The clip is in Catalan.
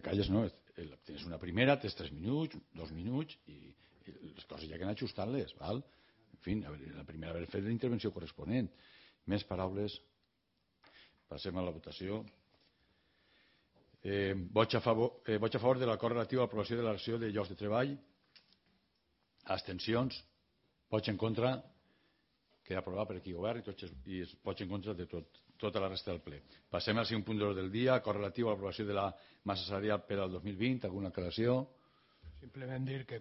calles no, tens una primera, tens 3 minuts, 2 minuts i les coses ja que han ajustat-les, val? En fi, la primera haver fet la intervenció corresponent. Més paraules. Passem a la votació. Vots a favor de l'acord relatiu a l'aprovació de la relació de llocs de treball. Abstencions. Vots en contra. Queda aprovat per aquí govern i vots en contra de tota la resta del ple. Passem al segon punt del dia, acord relatiu a l'aprovació de la massa salarial per al 2020. Alguna aclaració? Simplement dir que